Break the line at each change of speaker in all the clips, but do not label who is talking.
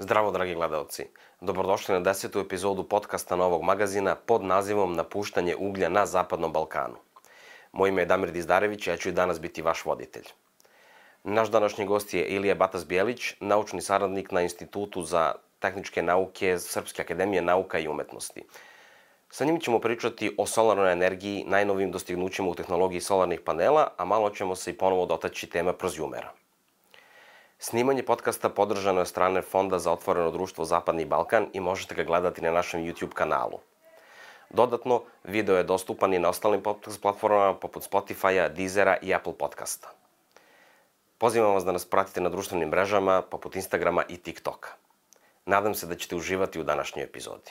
Zdravo, dragi gledalci. Dobrodošli na 10. epizodu podcasta Novog magazina pod nazivom Napuštanje uglja na Zapadnom Balkanu. Moje ime je Damir Dizdarević i ja ću i danas biti vaš voditelj. Naš današnji gost je Ilija Batas Bjelić, naučni saradnik na Institutu za tehničke nauke Srpske akademije nauka i umetnosti. Sa njim ćemo pričati o solarnoj energiji, najnovijim dostignućima u tehnologiji solarnih panela, a malo ćemo se i ponovo dotaći tema prozjumera. Snimanje podcasta podržano je od strane Fonda za otvoreno društvo Zapadni Balkan i možete ga gledati na našem YouTube kanalu. Dodatno, video je dostupan i na ostalim podcast platformama poput Spotify-a, Deezera i Apple podcasta. Pozivam vas da nas pratite na društvenim mrežama poput Instagrama i TikToka. Nadam se da ćete uživati u današnjoj epizodi.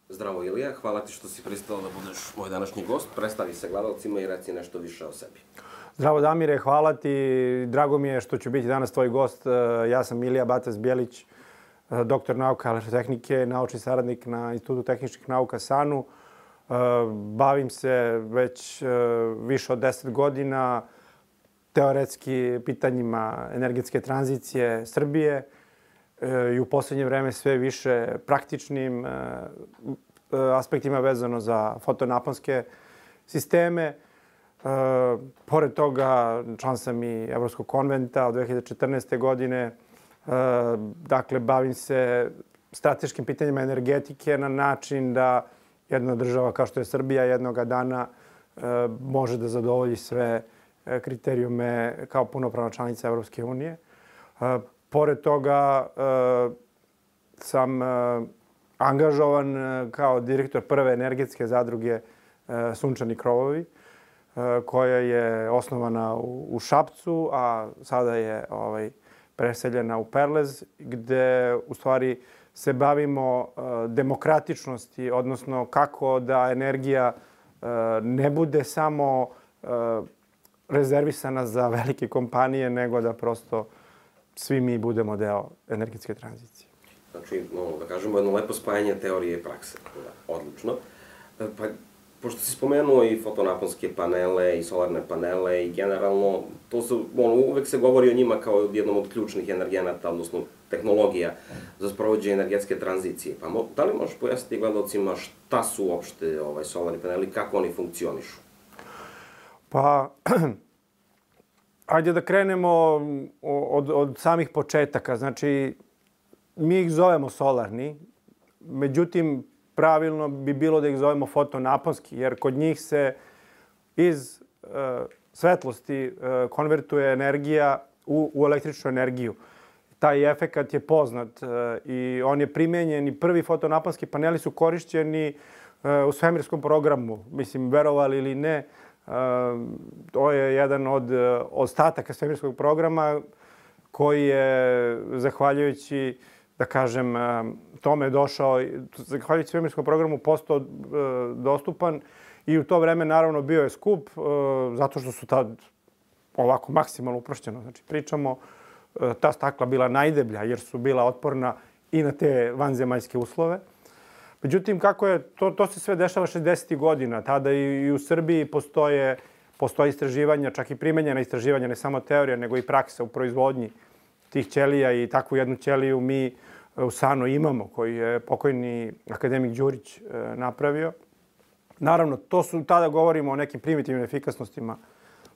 Zdravo Ilija, hvala ti što si pristao da budeš moj današnji gost. Predstavi se gledalcima i reci nešto više o sebi.
Zdravo Damire, hvala ti. Drago mi je što ću biti danas tvoj gost. Ja sam Ilija Batas Bjelić, doktor nauka elektrotehnike, naučni saradnik na Institutu tehničkih nauka SANU. Bavim se već više od 10 godina teoretski pitanjima energetske tranzicije Srbije i u poslednje vreme sve više praktičnim aspektima vezano za fotonaponske sisteme. Pored toga, član sam i Evropskog konventa od 2014. godine. Dakle, bavim se strateškim pitanjima energetike na način da jedna država kao što je Srbija jednoga dana može da zadovolji sve kriterijume kao punopravna članica Evropske unije. Pored toga sam angažovan kao direktor prve energetske zadruge Sunčani krovovi, koja je osnovana u Šapcu, a sada je preseljena u Perlez, gde u stvari se bavimo demokratičnosti, odnosno kako da energija ne bude samo rezervisana za velike kompanije, nego da prosto svi mi budemo deo energetske tranzicije.
Znači, da kažemo, jedno lepo spajanje teorije i prakse. Odlično. Pa, pošto si spomenuo i fotonaponske panele i solarne panele i generalno, uvek se govori o njima kao jednom od ključnih energenata, odnosno tehnologija za sprovođenje energetske tranzicije. Pa da li možeš pojasniti gledalcima šta su uopšte solarni paneli, kako oni funkcionišu?
Pa, ajde da krenemo od samih početaka. Znači, mi ih zovemo solarni, međutim, pravilno bi bilo da ih zovemo fotonaponski, jer kod njih se iz svetlosti konvertuje energija u električnu energiju. Taj efekat je poznat i on je primenjen i prvi fotonaponski paneli su korišćeni u svemirskom programu. Mislim, verovali ili ne, to je jedan od ostataka svemirskog programa koji je, zahvaljujući, da kažem, tome došao, zahvaljujući svemirskom programu, postao dostupan i u to vreme naravno bio je skup, zato što su tad ovako maksimalno uprošćeno. Znači, pričamo, ta stakla bila najdeblja jer su bila otporna i na te vanzemaljske uslove. Međutim, kako je, to se sve dešava 60. godina. Tada i u Srbiji postoje istraživanja, čak i primenjena istraživanja, ne samo teorija, nego i praksa u proizvodnji tih ćelija i takvu jednu ćeliju mi u SANU imamo, koji je pokojni akademik Đurić napravio. Naravno, tada govorimo o nekim primitivnim efikasnostima,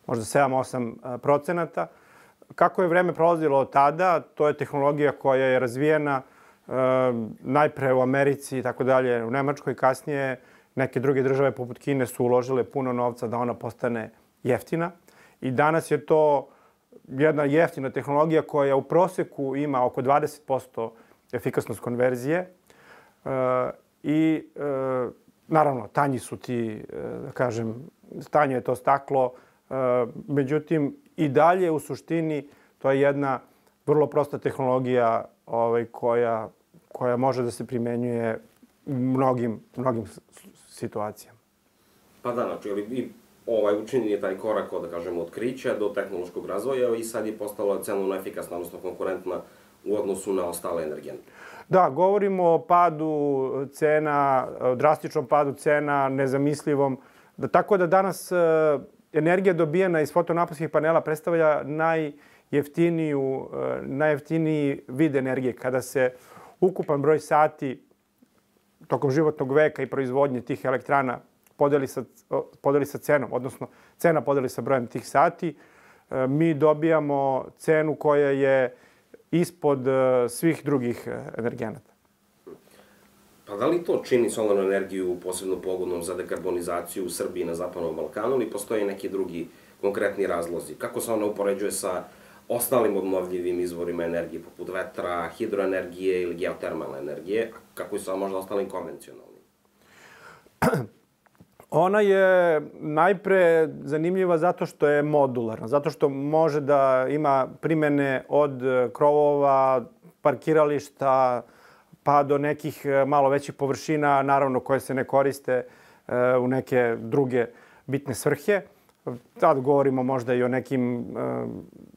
možda 7-8%. Kako je vreme prolazilo od tada, to je tehnologija koja je razvijena najpre u Americi i tako dalje, u Nemačkoj, kasnije neke druge države poput Kine su uložile puno novca da ona postane jeftina. I danas je to jedna jeftina tehnologija koja u proseku ima oko 20% efikasnost konverzije i naravno tanji su ti, da kažem, tanje je to staklo, međutim i dalje u suštini to je jedna vrlo prosta tehnologija koja može da se primenjuje u mnogim situacijama.
Pa da, znači, i učinjen je taj korak od, da kažemo, otkrića do tehnološkog razvoja i sad je postala cenovno efikasna, odnosno konkurentna u odnosu na ostale energente.
Da, govorimo o padu cena, drastičnom padu cena, nezamislivom. Tako da danas energija dobijena iz fotonaponskih panela predstavlja najjeftiniji vid energije. Kada se ukupan broj sati tokom životnog veka i proizvodnje tih elektrana podeli sa cenom, odnosno cena podeli sa brojem tih sati, mi dobijamo cenu koja je ispod svih drugih energenata.
Pa da li to čini solarnu energiju posebno pogodnom za dekarbonizaciju u Srbiji i na Zapadnom Balkanu ili postoje neki drugi konkretni razlozi? Kako se ona upoređuje sa ostalim obnovljivim izvorima energije, poput vetra, hidroenergije ili geotermalne energije, kako i sa možda ostalim konvencionalnim?
Ona je najpre zanimljiva zato što je modularna, zato što može da ima primene od krovova, parkirališta, pa do nekih malo većih površina, naravno koje se ne koriste u neke druge bitne svrhe. Sad govorimo možda i o nekim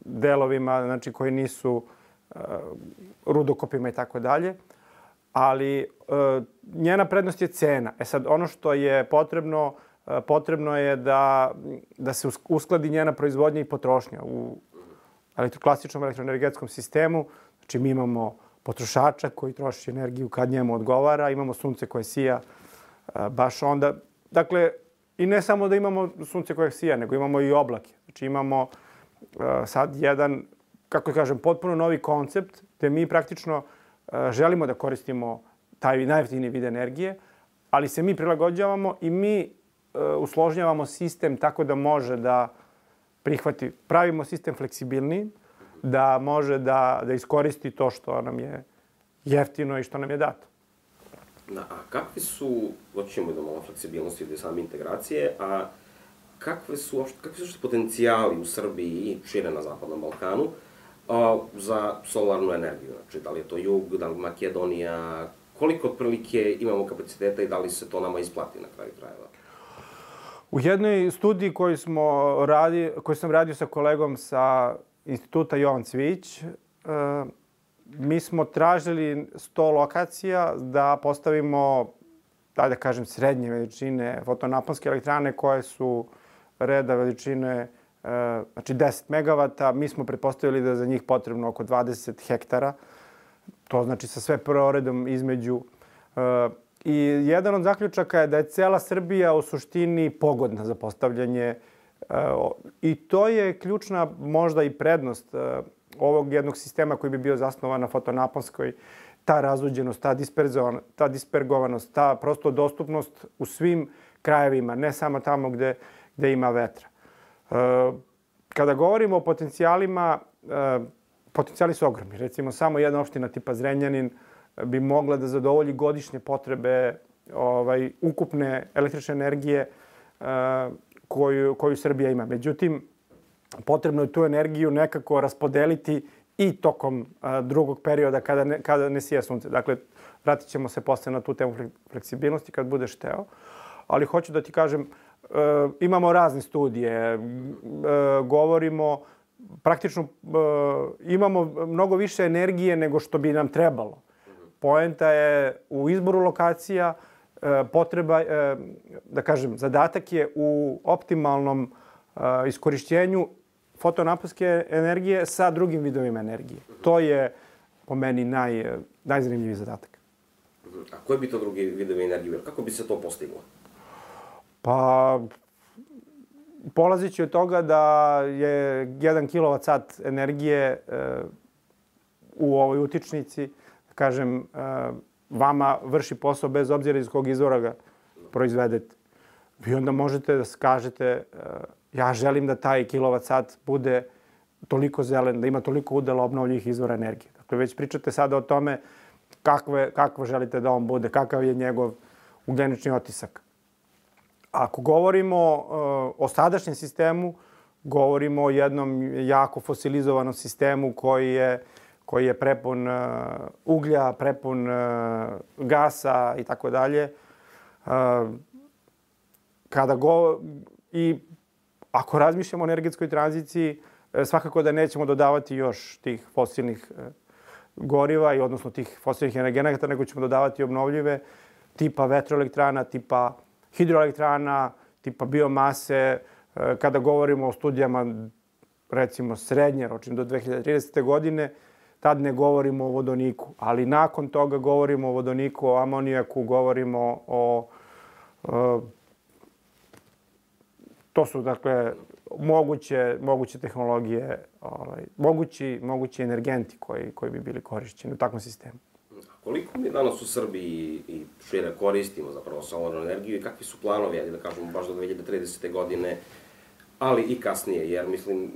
delovima, znači koji nisu rudokopima i tako dalje. Ali njena prednost je cena. Sad, ono što je potrebno je da se uskladi njena proizvodnja i potrošnja. U klasičnom elektroenergetskom sistemu, znači mi imamo potrošača koji troši energiju kad njemu odgovara, imamo sunce koje sija baš onda. Dakle, i ne samo da imamo sunce koje sija, nego imamo i oblake. Znači imamo sad jedan, kako kažem, potpuno novi koncept gde mi praktično želimo da koristimo taj najjeftiniji vid energije, ali se mi prilagođavamo i mi usložnjavamo sistem tako da može da prihvati. Pravimo sistem fleksibilniji, da može da iskoristi to što nam je jeftino i što nam je dato.
A kakvi su, doćemo do malo fleksibilnosti i same integracije, a kakvi su uopšte potencijali u Srbiji i šire na Zapadnom Balkanu za solarnu energiju? Znači, da li je to jug, da li Makedonija, koliko otprilike imamo kapaciteta i da li se to nama isplati na kraju krajeva?
U jednoj studiji koju sam radio sa kolegom sa Instituta Jovan Cvijić, mi smo tražili 100 lokacija da postavimo, da kažem, srednje veličine fotonaponske elektrane koje su reda veličine, znači 10 megavata. Mi smo pretpostavili da je za njih potrebno oko 20 hektara. To znači sa sve proredom između. I jedan od zaključaka je da je cela Srbija u suštini pogodna za postavljanje. I to je ključna možda i prednost ovog jednog sistema koji bi bio zasnovan na fotonaponskoj. Ta razuđenost, ta dispergovanost, ta prosto dostupnost u svim krajevima, ne samo tamo gde ima vetra. Kada govorimo o potencijalima, potencijali su ogromni. Recimo, samo jedna opština tipa Zrenjanin bi mogla da zadovolji godišnje potrebe ukupne električne energije koju Srbija ima. Međutim, potrebno je tu energiju nekako raspodeliti i tokom drugog perioda kada ne sija sunce. Dakle, vratit ćemo se posle na tu temu fleksibilnosti kad budeš hteo. Ali hoću da ti kažem, imamo razne studije, govorimo, praktično imamo mnogo više energije nego što bi nam trebalo. Poenta je u izboru lokacija, potreba, da kažem, zadatak je u optimalnom iskorišćenju fotonaponske energije sa drugim vidovima energije. To je po meni najzanimljiviji zadatak.
A koji bi to drugi vidovi energije bili? Kako bi se to postiglo?
Pa, polazeći od toga da je 1 kWh energije u ovoj utičnici, kažem, vama vrši posao bez obzira iz kog izvora ga proizvedete. Vi onda možete da kažete ja želim da taj kWh bude toliko zelen, da ima toliko udela obnovljivih izvora energije. Dakle, već pričate sada o tome kako želite da on bude, kakav je njegov ugljenični otisak. Ako govorimo o sadašnjem sistemu, govorimo o jednom jako fosilizovanom sistemu koji je prepun uglja, prepun gasa i tako dalje. I ako razmišljamo o energetskoj tranziciji, svakako da nećemo dodavati još tih fosilnih goriva, i odnosno tih fosilnih energenata, nego ćemo dodavati obnovljive tipa vetroelektrana, tipa hidroelektrana, tipa biomase. Kada govorimo o studijama, recimo srednjoročnim do 2030. godine, tad ne govorimo o vodoniku. Ali nakon toga govorimo o vodoniku, o amonijaku, govorimo o... To su, dakle, moguće tehnologije, mogući energenti koji bi bili korišćeni u takvom sistemu.
Koliko mi danas u Srbiji i šire koristimo zapravo solarnu energiju i kakvi su planovi, da kažemo, baš do 2030. godine, ali i kasnije, jer mislim,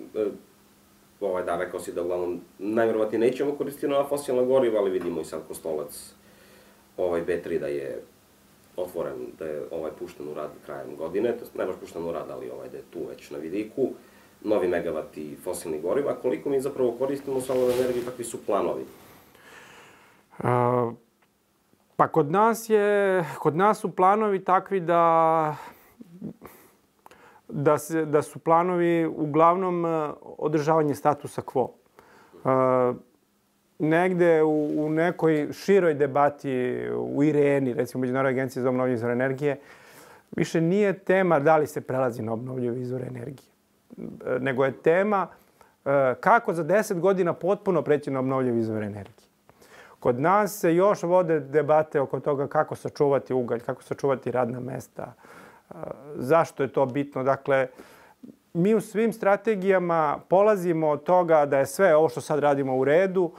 rekao si da uglavnom najverovatnije nećemo koristiti nova fosilna goriva, ali vidimo i sad Kostolac B3 da je otvoren, da je pušten u rad krajem godine, ne baš pušten u rad, ali da je tu već na vidiku, novi megavati fosilnih goriva. Koliko mi zapravo koristimo solarnu energiju, kakvi su planovi?
Pa kod nas su planovi takvi da su planovi uglavnom održavanje statusa quo. Negde u nekoj široj debati u IRENI, recimo Međunarodnoj agenciji za obnovljive izvore energije, više nije tema da li se prelazi na obnovljive izvore energije, nego je tema kako za 10 godina potpuno preći na obnovljive izvore energije. Kod nas se još vode debate oko toga kako sačuvati ugalj, kako sačuvati radna mesta, zašto je to bitno. Dakle, mi u svim strategijama polazimo od toga da je sve ovo što sad radimo u redu,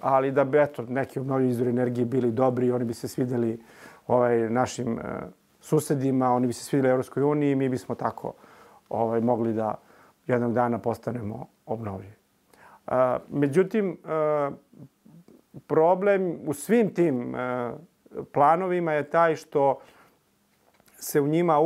ali da bi neki obnovljivi izvori energije bili dobri, oni bi se svidjeli našim susedima, oni bi se svidjeli Evropskoj uniji, mi bismo tako mogli da jednog dana postanemo obnovljivi. Međutim, problem u svim tim planovima je taj što se u njima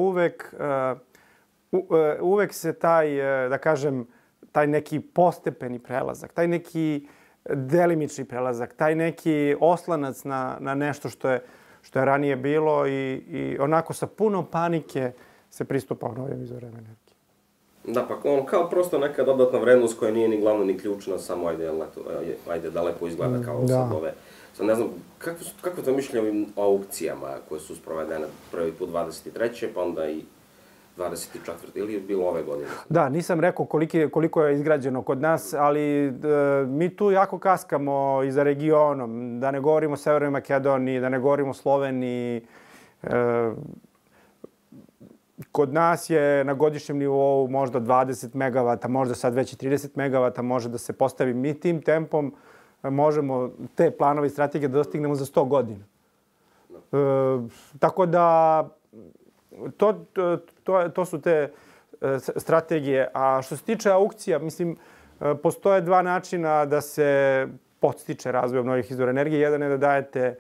uvek se taj, da kažem, taj neki postepeni prelazak, taj neki delimični prelazak, taj neki oslanac na nešto što je ranije bilo i onako sa puno panike se pristupa obnovljivim izvorima energije.
Da, pa kao prosto neka dodatna vrednost koja nije ni glavna ni ključna, samo ajde da lepo izgleda kao sad ove. Sad ne znam, kako to mišljenje o ovim aukcijama koje su sprovedene prvi put 23. pa onda i 24. ili je bilo ove godine?
Da, nisam rekao koliko je izgrađeno kod nas, ali mi tu jako kaskamo i za regionom. Da ne govorimo o Severnoj Makedoniji, da ne govorimo o Sloveniji. Kod nas je na godišnjem nivou možda 20 megavata, možda sad već i 30 megavata može da se postavi. Mi tim tempom možemo te planove i strategije da dostignemo za 100 godina. Tako da to su te strategije. A što se tiče aukcija, mislim, postoje dva načina da se podstiče razvoj obnovljivih izvora energije. Jedan je da dajete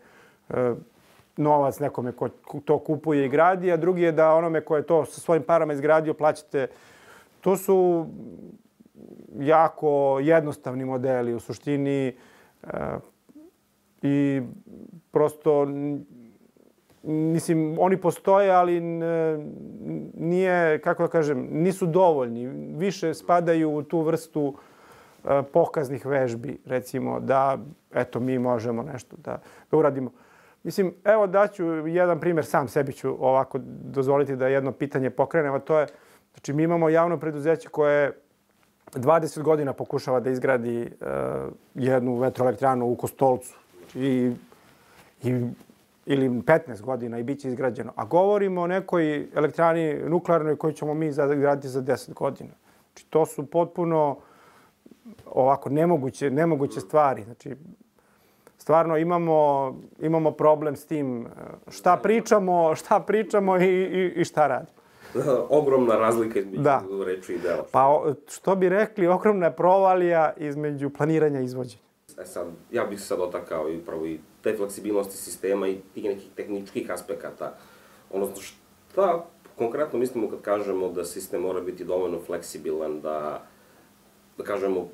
novac nekome ko to kupuje i gradi, a drugi je da onome ko je to sa svojim parama izgradio plaćate. To su jako jednostavni modeli u suštini i prosto, mislim, oni postoje, ali nije, kako da kažem, nisu dovoljni. Više spadaju u tu vrstu pokaznih vežbi, recimo, da, eto, mi možemo nešto da uradimo. Mislim, evo daću jedan primjer, sam sebi ću ovako dozvoliti da jedno pitanje pokrenem, a to je, znači, mi imamo javno preduzeće koje 20 godina pokušava da izgradi jednu vetroelektranu u Kostolcu ili 15 godina i bit će izgrađeno. A govorimo o nekoj elektrani nuklearnoj koju ćemo mi izgraditi za 10 godina. Znači, to su potpuno ovako nemoguće stvari. Znači, stvarno imamo problem s tim šta pričamo i šta radimo.
Ogromna razlika između reči i dela.
Pa što bi rekli, ogromna provalija između planiranja i izvođenja.
Sad, ja bih se sad dotakao i upravo i te fleksibilnosti sistema i tih nekih tehničkih aspekata. Odnosno, šta konkretno mislimo kad kažemo da sistem mora biti dovoljno fleksibilan, da kažemo,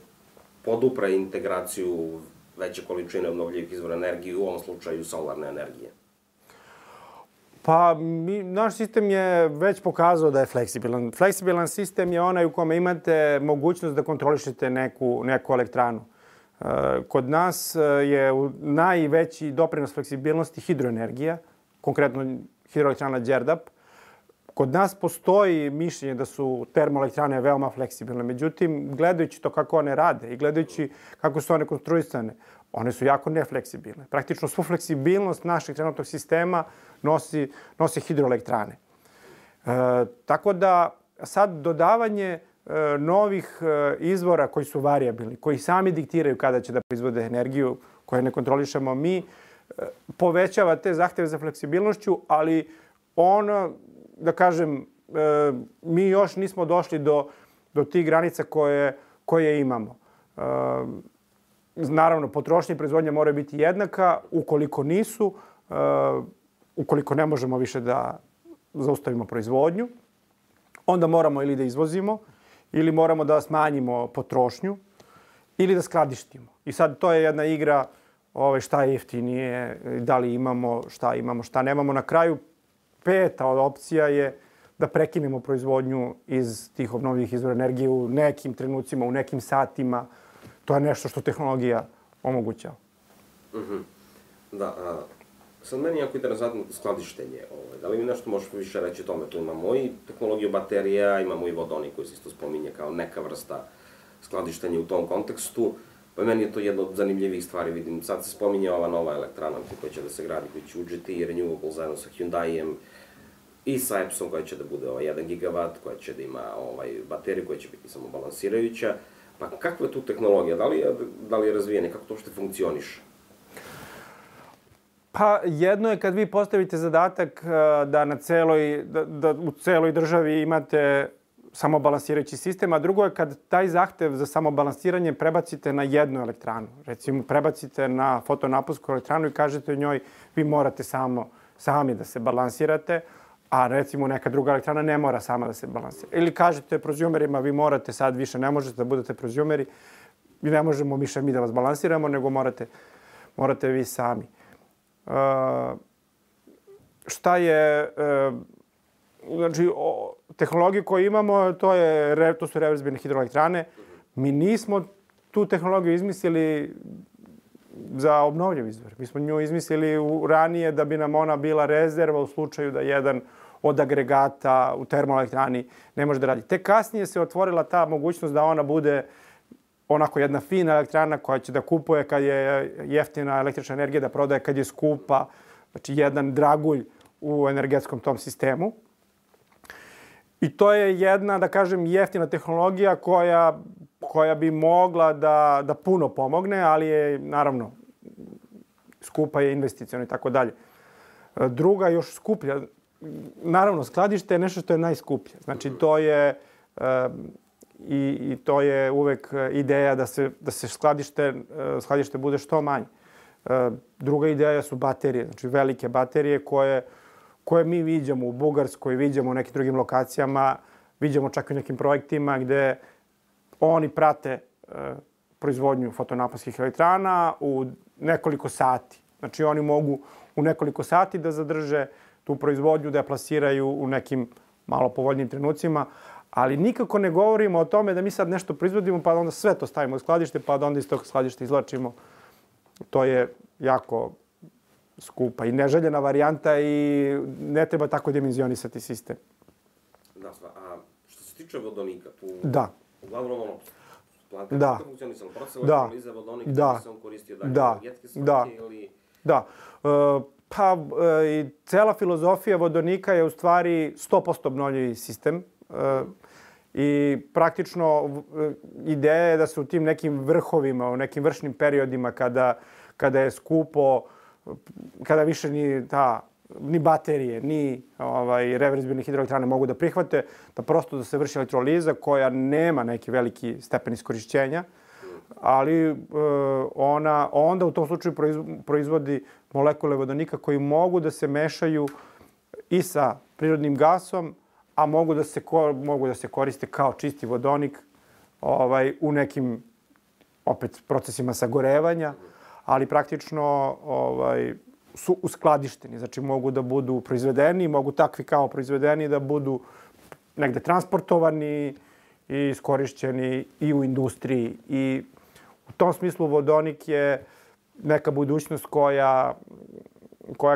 podupre integraciju veće količine obnovljivih izvora energije, u ovom slučaju solarne energije?
Pa, naš sistem je već pokazao da je fleksibilan. Fleksibilan sistem je onaj u kome imate mogućnost da kontrolišete neku elektranu. Kod nas je najveći doprinos fleksibilnosti hidroenergija, konkretno hidroelektrana Đerdap. Kod nas postoji mišljenje da su termoelektrane veoma fleksibilne. Međutim, gledajući to kako one rade i gledajući kako su one konstruisane, one su jako nefleksibilne. Praktično svu fleksibilnost našeg trenutnog sistema nose hidroelektrane. Tako da sad dodavanje novih izvora koji su varijabilni, koji sami diktiraju kada će da proizvode energiju koju ne kontrolišemo mi, povećava te zahteve za fleksibilnošću, ali ono, da kažem, mi još nismo došli do tih granica koje imamo. Naravno, potrošnja i proizvodnja moraju biti jednaka. Ukoliko nisu, ukoliko ne možemo više da zaustavimo proizvodnju, onda moramo ili da izvozimo, ili moramo da smanjimo potrošnju, ili da skladištimo. I sad to je jedna igra šta je jeftinije, da li imamo, šta nemamo. Na kraju, peta opcija je da prekinemo proizvodnju iz tih obnovljivih izvora energije u nekim trenucima, u nekim satima. To je nešto što tehnologija omogućava.
Da, sad meni je jako interesantno skladištenje. Da li mi nešto možeš više reći o tome? Tu imamo i tehnologiju baterija, imamo i vodonik koji se isto spominje kao neka vrsta skladištenja u tom kontekstu. Pa meni je to jedna od zanimljivih stvari. Vidim, sad se spominje ova nova elektrana koja će da se gradi, koja će u GT Renewable zajedno sa Hyundaijem i sa Epsom koja će da bude 1 gigawatt, koja će da ima bateriju koja će biti samo balansirajuća. Pa kakva je tu tehnologija? Da li je razvijena? Kako to uopšte funkcioniše?
Pa jedno je kad vi postavite zadatak da u celoj državi imate samobalansirajući sistem, a drugo je kad taj zahtev za samobalansiranje prebacite na jednu elektranu. Recimo, prebacite na fotonaponsku elektranu i kažete njoj vi morate sami da se balansirate, a recimo neka druga elektrana ne mora sama da se balansira. Ili kažete prozumerima vi morate sad više ne možete da budete prozumeri i ne možemo više mi da vas balansiramo, nego morate vi sami. Šta je... Znači, tehnologiju koju imamo, to su reverzibilne hidroelektrane. Mi nismo tu tehnologiju izmislili za obnovljiv izvor. Mi smo nju izmislili ranije da bi nam ona bila rezerva u slučaju da jedan od agregata u termoelektrani ne može da radi. Tek kasnije se otvorila ta mogućnost da ona bude onako jedna fina elektrana koja će da kupuje kad je jeftina električna energija, da prodaje kad je skupa. Znači, jedan dragulj u energetskom tom sistemu. I to je jedna, da kažem, jeftina tehnologija koja bi mogla da puno pomogne, ali je, naravno, skupa je investiciona i tako dalje. Druga, još skuplja. Naravno, skladište je nešto što je najskuplje. Znači, to je i to je uvek ideja da se skladište bude što manje. Druga ideja su baterije, znači velike baterije koje mi viđamo u Bugarskoj, viđamo u nekim drugim lokacijama, viđamo čak i u nekim projektima gde oni prate proizvodnju fotonaponskih elektrana u nekoliko sati. Znači oni mogu u nekoliko sati da zadrže tu proizvodnju, da je plasiraju u nekim malo povoljnijim trenucima, ali nikako ne govorimo o tome da mi sad nešto proizvodimo pa onda sve to stavimo u skladište pa da onda iz tog skladišta izvlačimo. To je jako skupa i neželjena varijanta i ne treba tako dimenzionisati sistem.
Da, a što se tiče vodonika, tu uglavnom
Da.
Funkcionisala proces elektroliza vodonika, da se on koristio energetske svrhe ili...
Da. Pa i cela filozofija vodonika je u stvari 100% obnovljivi sistem. I praktično ideja je da se u tim nekim vrhovima, u nekim vršnim periodima kada je skupo, kada više ni baterije, ni reverzibilne hidroelektrane mogu da prihvate, da prosto da se vrši elektroliza koja nema neki veliki stepen iskorišćenja, ali onda u tom slučaju proizvodi molekule vodonika koji mogu da se mešaju i sa prirodnim gasom, a mogu da se koriste kao čisti vodonik u nekim opet procesima sagorevanja, ali praktično su uskladišteni. Znači mogu da budu proizvedeni, mogu takvi kao proizvedeni da budu negde transportovani i iskorišćeni i u industriji i U tom smislu vodonik je neka budućnost koja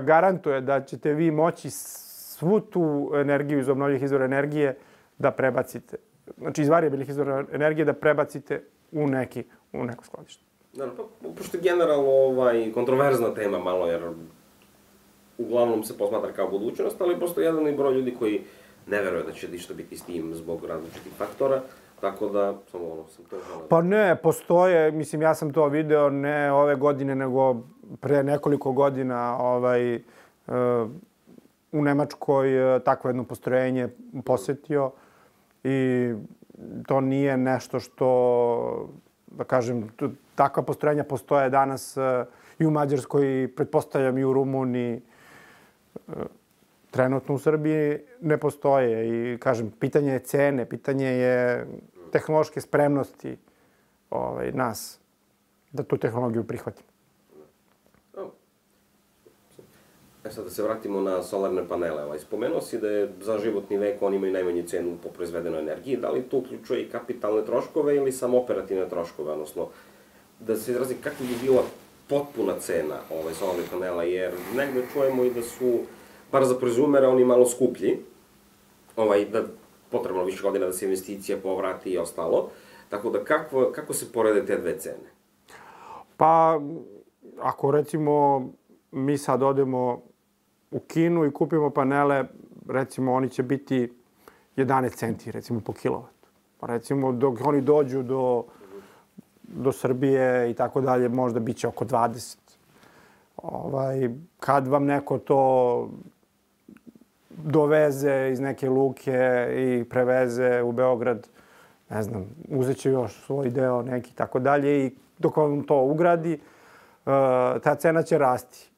garantuje da ćete vi moći svu tu energiju iz obnovljivih izvora energije da prebacite. Znači, iz varijabilnih izvora energije da prebacite u neko skladište.
Naravno, pošto je generalno kontroverzna tema malo, jer uglavnom se posmatra kao budućnost, ali postoji jedan broj ljudi koji ne veruje da će ništa biti s tim zbog različitih faktora, tako da samo sam to želeo.
Pa ne, postoje, mislim, ja sam to video ne ove godine, nego pre nekoliko godina u Nemačkoj takvo jedno postrojenje posetio i to nije nešto što, da kažem, takva postrojenja postoje danas i u Mađarskoj, pretpostavljam i u Rumuniji. Trenutno u Srbiji ne postoje i, kažem, pitanje je cene, pitanje je tehnološke spremnosti nas da tu tehnologiju prihvatimo.
Sad da se vratimo na solarne panele. Spomenuo si da je za životni vek oni imaju najmanju cenu po proizvedenoj energiji. Da li to uključuje i kapitalne troškove ili samo operativne troškove? Odnosno, da se izrazi kako bi bila potpuna cena solarnih panela, jer negde čujemo i da su, bar za proizumere, oni malo skuplji, da potrebno više godina da se investicija povrati i ostalo. Tako da kako se porede te dve cene?
Pa, ako recimo mi sad odemo u Kinu i kupimo panele, recimo oni će biti 11 centi, recimo po kilovatu. Pa recimo dok oni dođu do Srbije i tako dalje, možda bit će oko 20. Kad vam neko to doveze iz neke luke i preveze u Beograd, ne znam, uzet će još svoj deo neki tako dalje i dok vam to ugradi, ta cena će rasti.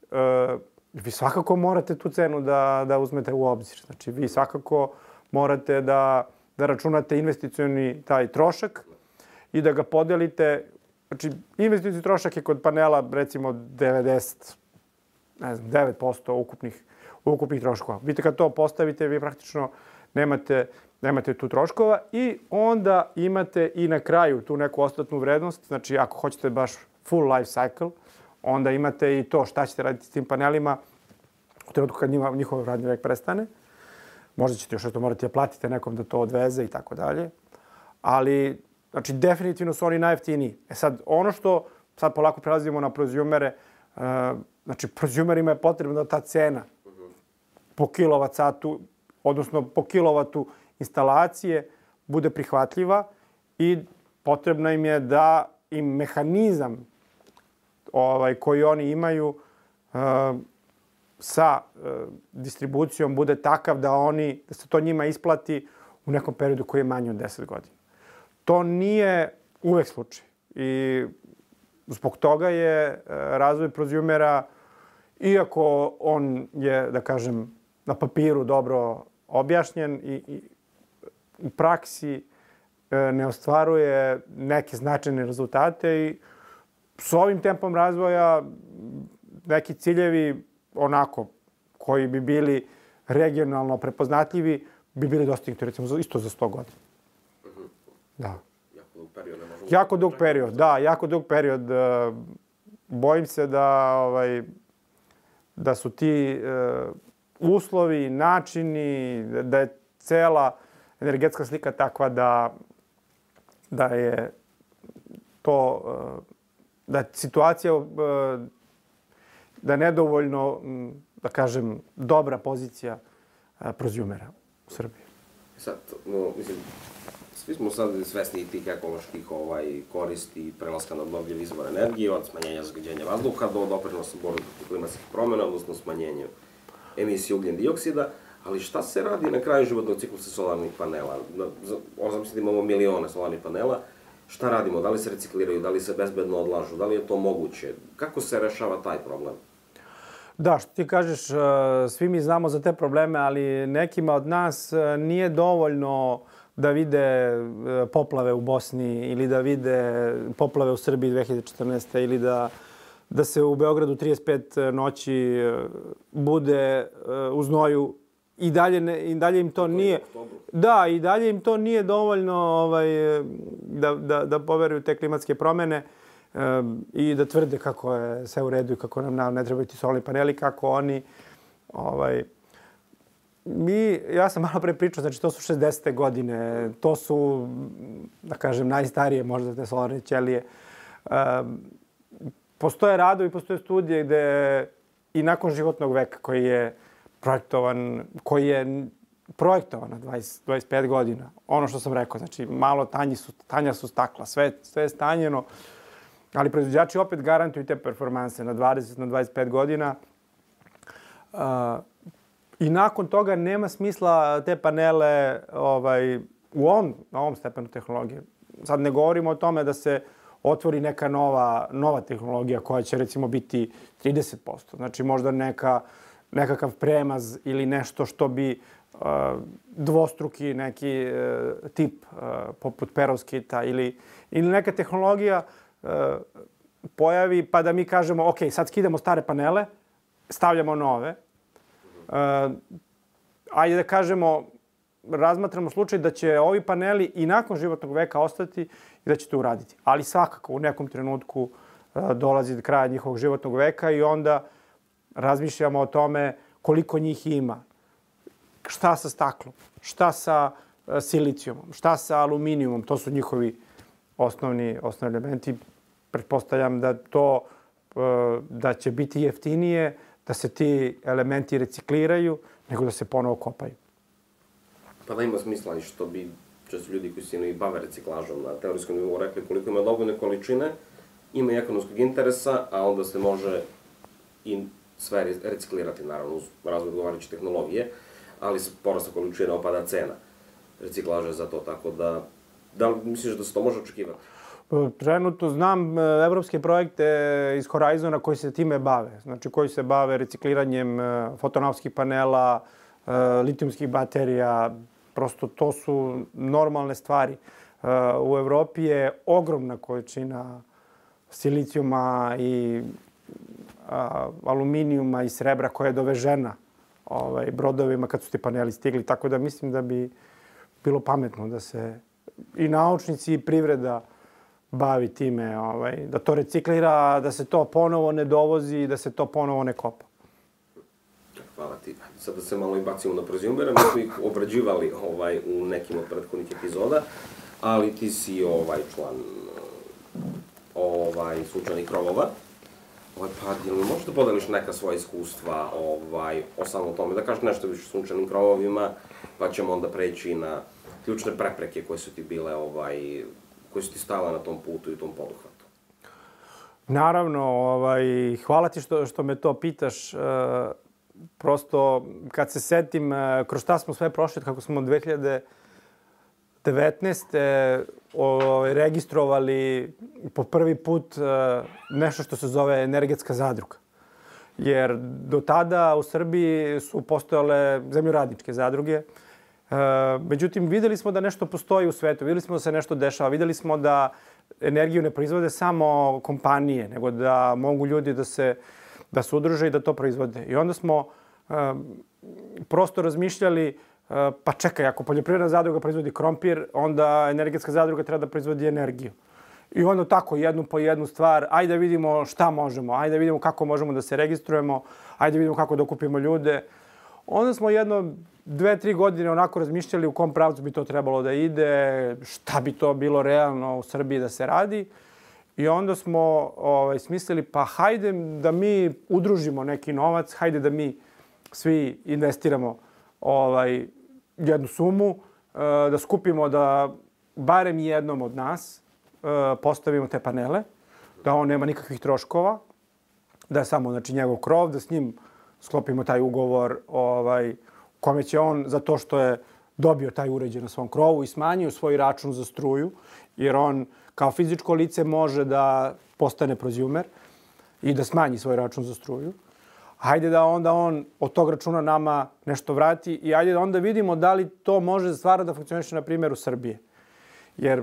Vi svakako morate tu cenu da uzmete u obzir. Znači, vi svakako morate da računate investicioni taj trošak i da ga podelite. Znači, investicioni trošak je kod panela, recimo, 99% ukupnih troškova. Vidite, kad to postavite, vi praktično nemate tu troškova i onda imate i na kraju tu neku ostatnu vrednost. Znači, ako hoćete baš full life cycle, onda imate i to šta ćete raditi s tim panelima u trenutku kad njihov radni vek prestane. Možda ćete još to morati da platite nekom da to odveze i tako dalje. Ali, znači, definitivno su oni najjeftiniji. Sad, ono što sad polako prelazimo na prozumere, znači, prozumerima je potrebno da ta cena po kilovat satu, odnosno po kilovatu instalacije, bude prihvatljiva i potrebno im je da im mehanizam koji oni imaju sa distribucijom bude takav da se to njima isplati u nekom periodu koji je manji od 10 godina. To nije uvek slučaj. I zbog toga je razvoj prozumera, iako on je, da kažem, na papiru dobro objašnjen i u praksi ne ostvaruje neke značajne rezultate i s ovim tempom razvoja neki ciljevi onako koji bi bili regionalno prepoznatljivi bi bili dostignuti recimo isto za 100 godina. Da. Jako dug period, da, jako dug period. Bojim se da su ti uslovi, načini, da je cela energetska slika takva da je to, da je situacija, da je nedovoljno, da kažem, dobra pozicija prozumera u Srbiji.
Sad, mislim, svi smo sad svesni tih ekoloških koristi prelaska na obnovljive izvore energije, od smanjenja zagađenja vazduha do doprinosa borbe protiv klimatskih promjena, odnosno smanjenja emisije ugljen dioksida, ali šta se radi na kraju životnog ciklusa solarnih panela? Zamislite da imamo milione solarnih panela, šta radimo? Da li se recikliraju, da li se bezbedno odlažu, da li je to moguće? Kako se rešava taj problem?
Da, što ti kažeš, svi mi znamo za te probleme, ali nekima od nas nije dovoljno da vide poplave u Bosni ili da vide poplave u Srbiji 2014. ili da se u Beogradu 35 noći bude u znoju i dalje im to nije. Da, i dalje im to nije dovoljno da poveruju te klimatske promjene. i da tvrde kako je sve u redu i kako nam ne trebaju ti solarni paneli, kako oni... Ja sam malo pre pričao, znači to su 60. godine, to su, da kažem, najstarije možda te solarne ćelije. Postoje radovi, postoje studije gde i nakon životnog veka koji je projektovan na 25 godina. Ono što sam rekao, znači malo tanja su stakla, sve je stanjeno, ali proizvođači opet garantuju te performanse na 20, na 25 godina. I nakon toga nema smisla te panele na ovom stepenu tehnologije. Sad ne govorimo o tome da se otvori neka nova tehnologija koja će recimo biti 30%. Znači možda nekakav premaz ili nešto što bi dvostruki neki tip poput perovskita ili neka tehnologija pojavi pa da mi kažemo ok, sad skidamo stare panele, stavljamo nove. Ajde da kažemo, razmatramo slučaj da će ovi paneli i nakon životnog veka ostati i da će to uraditi. Ali svakako u nekom trenutku dolazi do kraja njihovog životnog veka i onda razmišljamo o tome koliko njih ima. Šta sa staklom, šta sa silicijumom, šta sa aluminijumom, to su njihovi osnovni elementi. Pretpostavljam da će biti jeftinije da se ti elementi recikliraju nego da se ponovo kopaju.
Pa da ima smisla i što bi često ljudi koji se bave reciklažom na teorijskom nivou rekli koliko ima dovoljne količine, ima i ekonomskog interesa, a onda se može i sve reciklirati, naravno, uz razvoj odgovarajuće tehnologije, ali sa porasta količina opada cena reciklaže za to, tako da li misliš da se to može očekivati?
Trenutno znam evropske projekte iz Horizona koji se time bave. Znači koji se bave recikliranjem fotonaupskih panela, litijumskih baterija. Prosto to su normalne stvari. U Evropi je ogromna količina silicijuma i aluminijuma i srebra koja je dovežena brodovima kad su ti paneli stigli. Tako da mislim da bi bilo pametno da se i naučnici i privreda bavi time, da to reciklira, da se to ponovo ne dovozi, da se to ponovo ne kopa.
Hvala ti. Sad da se malo i bacimo na prozijumere, mi smo ih obrađivali u nekim od prethodnih epizoda, ali ti si član sunčanih krovova. Pa, jel mi možeš da podeliš neka svoja iskustva o samom tome, da kažeš nešto više o sunčanim krovovima, pa ćemo onda preći na ključne prepreke koje su ti bile, koje su ti stale na tom putu i tom poduhvatu?
Naravno, hvala ti što me to pitaš. Prosto, kad se setim kroz šta smo sve prošli, kako smo 2019. Registrovali po prvi put nešto što se zove energetska zadruga. Jer do tada u Srbiji su postojale zemljoradničke zadruge. Međutim, videli smo da nešto postoji u svetu, videli smo da se nešto dešava, videli smo da energiju ne proizvode samo kompanije, nego da mogu ljudi da se udruže i da to proizvode. I onda smo prosto razmišljali, pa čekaj, ako poljoprivredna zadruga proizvodi krompir, onda energetska zadruga treba da proizvodi energiju. I onda tako, jednu po jednu stvar, ajde da vidimo šta možemo, ajde da vidimo kako možemo da se registrujemo, ajde da vidimo kako da okupimo ljude. Onda smo 2-3 godine onako razmišljali u kom pravcu bi to trebalo da ide, šta bi to bilo realno u Srbiji da se radi. I onda smo smislili, pa hajde da mi udružimo neki novac, hajde da mi svi investiramo jednu sumu, da skupimo da barem jednom od nas postavimo te panele, da on nema nikakvih troškova, da je samo njegov krov, da s njim sklopimo taj ugovor kome će on, za to što je dobio taj uređaj na svom krovu i smanjio svoj račun za struju, jer on kao fizičko lice može da postane proziumer i da smanji svoj račun za struju. Hajde da onda on od tog računa nama nešto vrati i hajde da onda vidimo da li to može stvarno da funkcioniše na primjeru Srbije. Jer,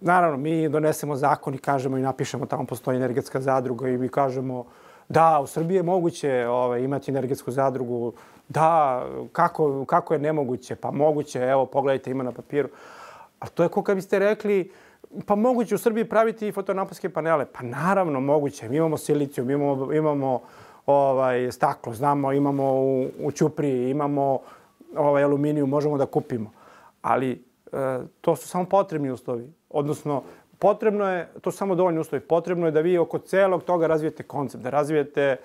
naravno, mi donesemo zakon i kažemo i napišemo tamo postoji energetska zadruga i mi kažemo da, u Srbiji je moguće imati energetsku zadrugu. Da, kako je nemoguće? Pa moguće, evo, pogledajte, ima na papiru. Ali to je kao kad biste rekli, Pa moguće u Srbiji praviti fotonaponske panele? Pa naravno moguće. Mi imamo silicijum, imamo staklo, znamo, imamo u Ćupriji, imamo aluminijum, možemo da kupimo. Ali to su samo potrebni uslovi. Odnosno, potrebno je, to su samo dovoljni uslovi, potrebno je da vi oko celog toga razvijete koncept, da razvijete,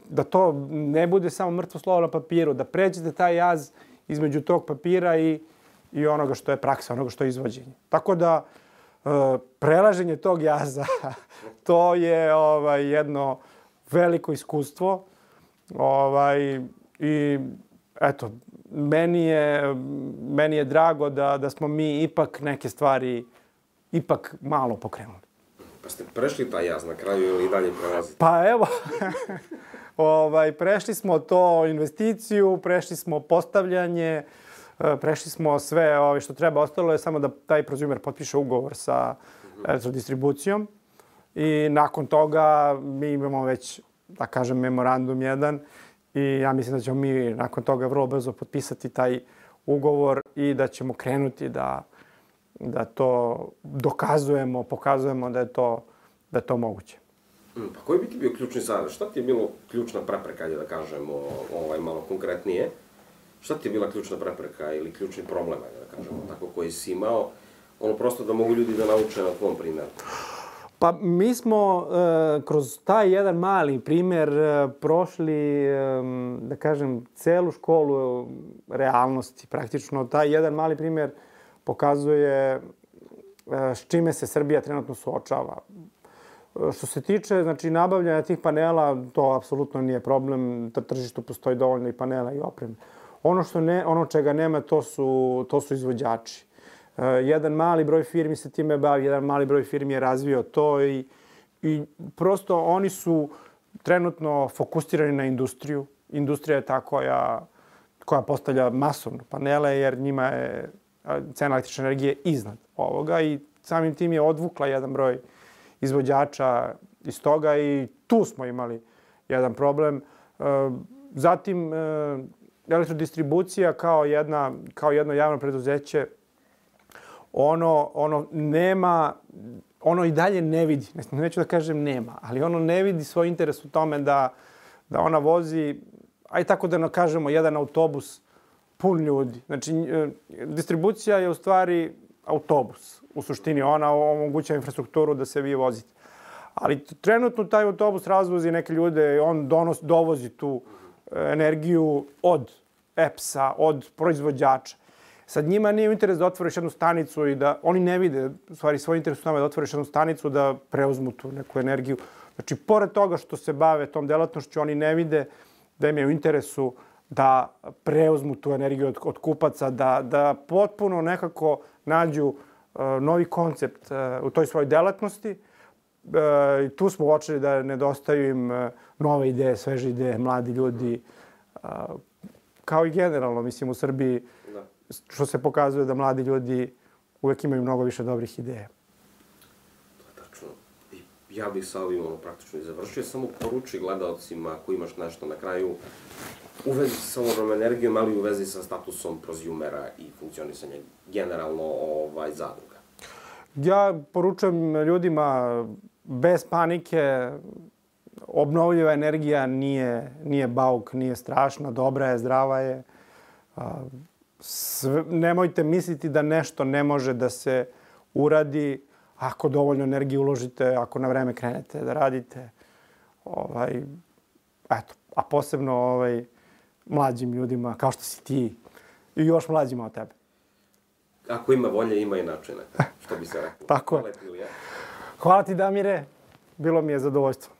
da to ne bude samo mrtvo slovo na papiru, da pređete taj jaz između tog papira i onoga što je praksa, onoga što je izvođenje. Tako da, prelaženje tog jaza, to je jedno veliko iskustvo. I eto, meni je drago da smo mi ipak neke stvari ipak malo pokrenuli.
Pa ste prešli taj jaz na kraju ili i dalje prelazite?
Pa evo, prešli smo to investiciju, prešli smo postavljanje, prešli smo sve što treba. Ostalo je samo da taj prozumer potpiše ugovor sa elektrodistribucijom i nakon toga mi imamo već, da kažem, memorandum jedan i ja mislim da ćemo mi nakon toga vrlo brzo potpisati taj ugovor i da ćemo krenuti da to dokazujemo, pokazujemo da je to moguće.
Pa koji bi ti bio ključni savjet? Šta ti je bilo ključna prepreka, da kažemo malo konkretnije? Šta ti je bila ključna prepreka ili ključni problem, da kažemo tako, koji si imao? Prosto da mogu ljudi da nauče na tvom primjeru.
Pa mi smo kroz taj jedan mali primjer prošli, da kažem, celu školu realnosti. Praktično taj jedan mali primjer pokazuje s čime se Srbija trenutno suočava. Što se tiče nabavljanja tih panela, to apsolutno nije problem. Na tržištu postoji dovoljno i panela i opreme. Ono čega nema, to su izvođači. Jedan mali broj firmi se time bavi, jedan mali broj firmi je razvio to i prosto oni su trenutno fokusirani na industriju. Industrija je ta koja postavlja masovno panele jer njima je cena električne energije iznad ovoga i samim tim je odvukla jedan broj izvođača iz toga i tu smo imali jedan problem. Zatim, elektrodistribucija kao jedno javno preduzeće, ono i dalje ne vidi, neću da kažem nema, ali ono ne vidi svoj interes u tome da ona vozi, aj tako da kažemo, jedan autobus pun ljudi. Znači, distribucija je u stvari autobus. U suštini ona omogućava infrastrukturu da se vi vozite. Ali trenutno taj autobus razvozi neke ljude, on dovozi tu energiju od EPS-a, od proizvođača. Sad njima nije u interes da otvoriš jednu stanicu i da oni ne vide, u stvari svoj interes u tome da otvoriš jednu stanicu da preuzmu tu neku energiju. Znači, pored toga što se bave tom delatnošću, oni ne vide da im je u interesu da preuzmu tu energiju od kupaca, da potpuno nekako nađu novi koncept u toj svojoj delatnosti. I tu smo uočili da nedostaju im nove ideje, sveže ideje, mladi ljudi. Kao i generalno, mislim, u Srbiji, što se pokazuje da mladi ljudi uvek imaju mnogo više dobrih ideja.
To je tačno. Ja bih sa ovim praktično i završio. Samo poruči gledalcima ako imaš nešto na kraju u vezi sa solarnom energijom, ali u vezi sa statusom prozumera i funkcionisanje generalno zadruga.
Ja poručujem ljudima bez panike, obnovljiva energija nije bauk, nije strašna, dobra je, zdrava je. Nemojte misliti da nešto ne može da se uradi ako dovoljno energije uložite, ako na vreme krenete da radite. A posebno mlađim ljudima, kao što si ti, i još mlađima od tebe.
Ako ima volje, ima i načina, što bi se reklo.
Tako je. Hvala ti, Damire. Bilo mi je zadovoljstvo.